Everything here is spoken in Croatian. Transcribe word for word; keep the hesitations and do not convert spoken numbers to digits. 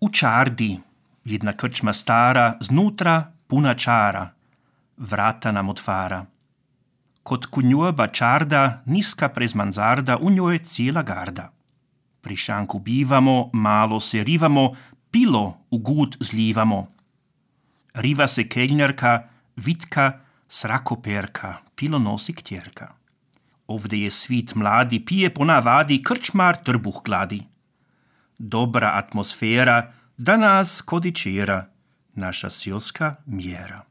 U čardi, jedna krčma stara, znutra puna čara, vrata nam otvara. Kod kunjoba čarda, niska prez manzarda, u njoj cijela garda. Pri šanku bivamo, malo se rivamo, pilo u gud zlivamo. Riva se keljnjarka, vitka, srakoperka, pilo nosi ktjerka. Ovdje je svit mladi, pije po navadi, krčmar trbuh gladi. Dobra atmosfera, da nas kodičera, naša sjolska mjera.